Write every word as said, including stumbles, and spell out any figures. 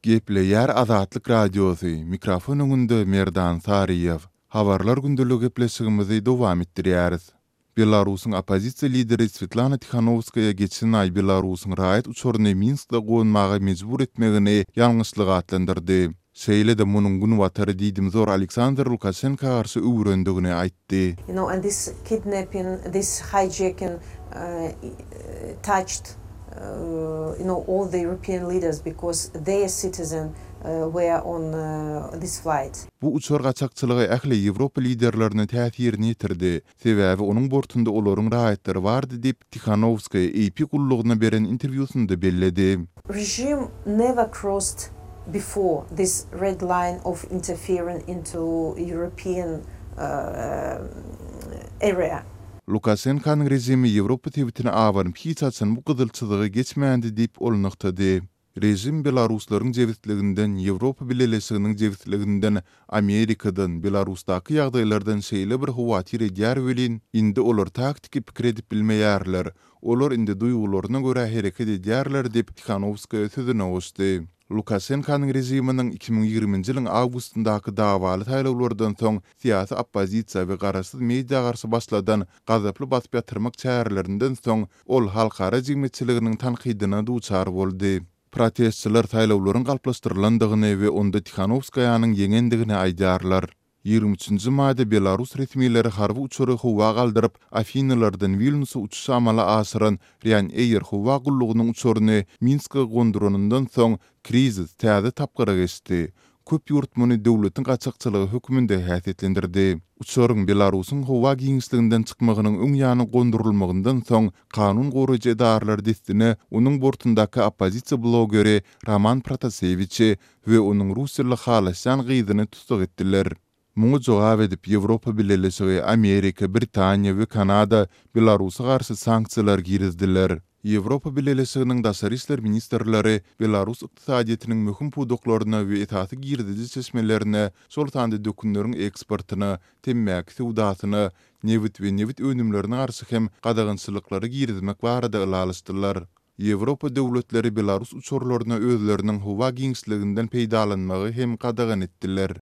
Gepleýär Azatlyk Radiosy, mikrofon öňünde Merdan Saryýew. Habarlar gündeligi gepleşigimizi dowam etdirýäris. Belarusyň oppozisiýa lideri Swetlana Tihanowskaýa geçen aý Belarusyň raýat uçaryny Minskde gonmaga mejbur etmegini ýalňyşlyk atlandyrdy. Şeýle-de munuň Günbatary diýdimzor Aleksandr Lukaşenka garşy öwürendigini aýtdy. You know, and this kidnapping, this hijacking uh, touched, uh, you know, all the European leaders because their citizen uh, were on uh, this flight. Bu uçar gaçakçylygy ähli Ýewropa liderlerine täsirini ýetirdi. Sebäbi onuň bortunda olaryň raýatlary bardy diýip Tihanowskaýa AP gullugyna beren interwýusynda belledi. Regime never crossed before this red line of interfering into European uh, area. Lukaşenkanyň režimi Ýewropa sebitine abanyp hiç haçan bu gyzyl çyzygy geçmändi diýip ol nygtady. Režim Belaruslaryň jebisliginden, Ýewropa Bileleşiginiň jebisliginden, Amerikadan, Belarusdaky ýagdaýlardan şeýle bir howatyr edýär welin, indi olar taktiki pikir edip bilmeýärler. Olar indi duýgularyna görä hereket edýärler diýip Tihanowskaýa sözüne goşdy. Lukaşenkanyň režiminiň iki müň ýigriminji ýylyň awgustyndaky dawaly saýlawlardan soň syýasy oppozisiýa we garaşsyz media garşy başladan gazaply basyp ýatyrmak çärelerinden soň ol halkara jemgyýetçiliginiň tankydyna duçar boldy. Protestçiler saýlawlaryň galplaşdyrylandygyny we onda Tihanowskaýanyň ýeňendigini aýdýarlar. Ýigrimi üçünji maýda Belarus resmileri harby uçary howa galdyryp, Afinalardan Wilnusa uçuşy amala aşyran Ryanair howa gullugynyň uçaryny Minske gonduranyndan soň krizis täze tapgyra geçdi. Köp ýurt muny döwletiň gaçakçylygy hökmünde häsiýetlendirdi. Uçaryň Belarusyň howa giňişliginden çykmagynyň öň ýany gondurylmagyndan soň kanun goraýjy edaralar dessine onuň bortundaky oppozisiýa blogeri Roman Protasewiçi we onuň russiýaly halaşýan gyzyny tussag etdiler. Muňa jogap edip Ýewropa Bileleşigi, Amerika, Britaniýa we Kanada Belarusa garşy sanksiýalar girizdiler. Ýewropa Bileleşiginiň daşary işler ministrleri Belarus ykdysadyýetiniň möhüm pudaklaryna we esasy girdeji çeşmelerine, şol sanda dökünleriň eksportyna, temmäki söwdasyna, nebit we nebit önümlerine garşy hem gadagançylyklary girizmek barada ylalaşdylar. Ýewropa döwletleri Belarus uçarlaryna özleriniň howa giňişliginden peýdalanmagy hem gadagan etdiler.